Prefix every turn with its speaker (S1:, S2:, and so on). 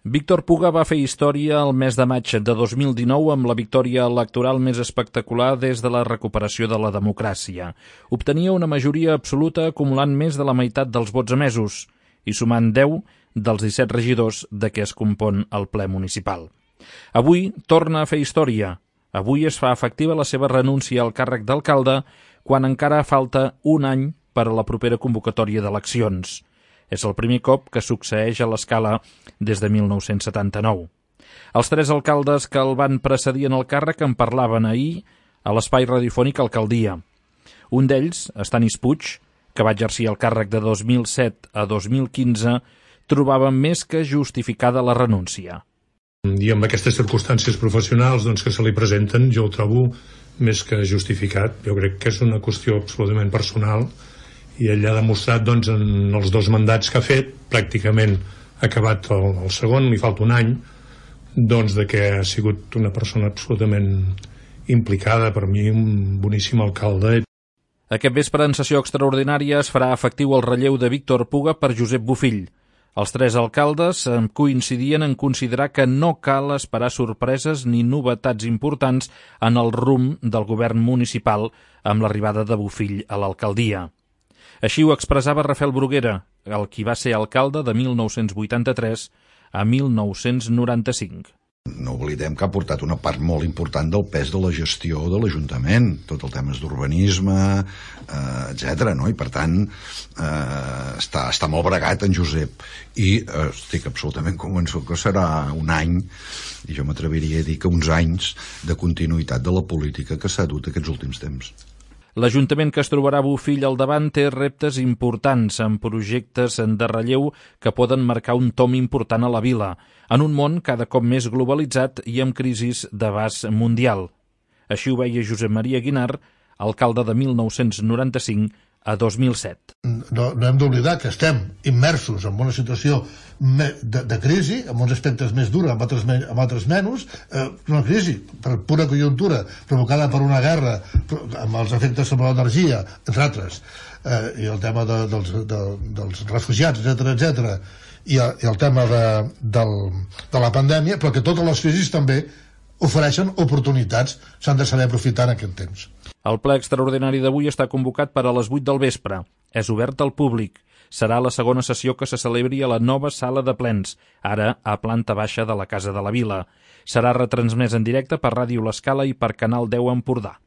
S1: Víctor Puga va fer història el mes de maig de 2019 amb la victòria electoral més espectacular des de la recuperació de la democràcia. Obtenia una majoria absoluta acumulant més de la meitat dels vots emesos i sumant 10 dels 17 regidors de què es compon el ple municipal. Avui torna a fer història. Avui es fa efectiva la seva renúncia al càrrec d'alcalde quan encara falta un any per a la propera convocatòria d'eleccions. És el primer cop que succeeix a l'escala des de 1979. Els tres alcaldes que el van precedir en el càrrec en parlaven ahir a l'espai radiofònic Alcaldia. Un d'ells, Stanis Puig, que va exercir el càrrec de 2007 a 2015, trobava més que justificada la renúncia.
S2: I amb aquestes circumstàncies professionals que se li presenten, jo ho trobo més que justificat. Jo crec que és una qüestió absolutament personal i ell ha demostrat en els 2 mandats que ha fet, pràcticament ha acabat el segon, li falta un any, de que ha sigut una persona absolutament implicada, per mi un boníssim alcalde.
S1: Aquest vespre en sessió extraordinària es farà efectiu el relleu de Víctor Puga per Josep Bofill. Els 3 alcaldes coincidien en considerar que no cal esperar sorpreses ni novetats importants en el rumb del govern municipal amb l'arribada de Bofill a l'alcaldia. Així ho expressava Rafael Bruguera, el qui va ser alcalde de 1983 a 1995.
S3: No oblidem que ha portat una part molt important del pes de la gestió de l'Ajuntament, tot el temes d'urbanisme, etc. I per tant està molt bregat en Josep i estic absolutament convençut que serà un any, i jo m'atreviria a dir que uns anys de continuïtat de la política que s'ha dut aquests últims temps.
S1: L'Ajuntament que es trobarà Bofill al davant té reptes importants amb projectes de relleu que poden marcar un tom important a la vila, en un món cada cop més globalitzat i amb crisis d'abast mundial. Així ho veia Josep Maria Guinar, alcalde de 1995 a 2007.
S4: No hem d'oblidar que estem immersos en una situació de crisi, en uns aspectes més durs, en altres menys, una crisi per pura conjuntura provocada per una guerra amb els efectes sobre l'energia, entre altres, i el tema dels refugiats, etc., i el tema de la pandèmia, però que totes les crisis també ofereixen oportunitats, s'han de saber aprofitar en aquest temps.
S1: El ple extraordinari d'avui està convocat per a les 8 del vespre. És obert al públic. Serà la segona sessió que se celebri a la nova sala de plens, ara a planta baixa de la Casa de la Vila. Serà retransmès en directe per Ràdio L'Escala i per Canal 10 Empordà.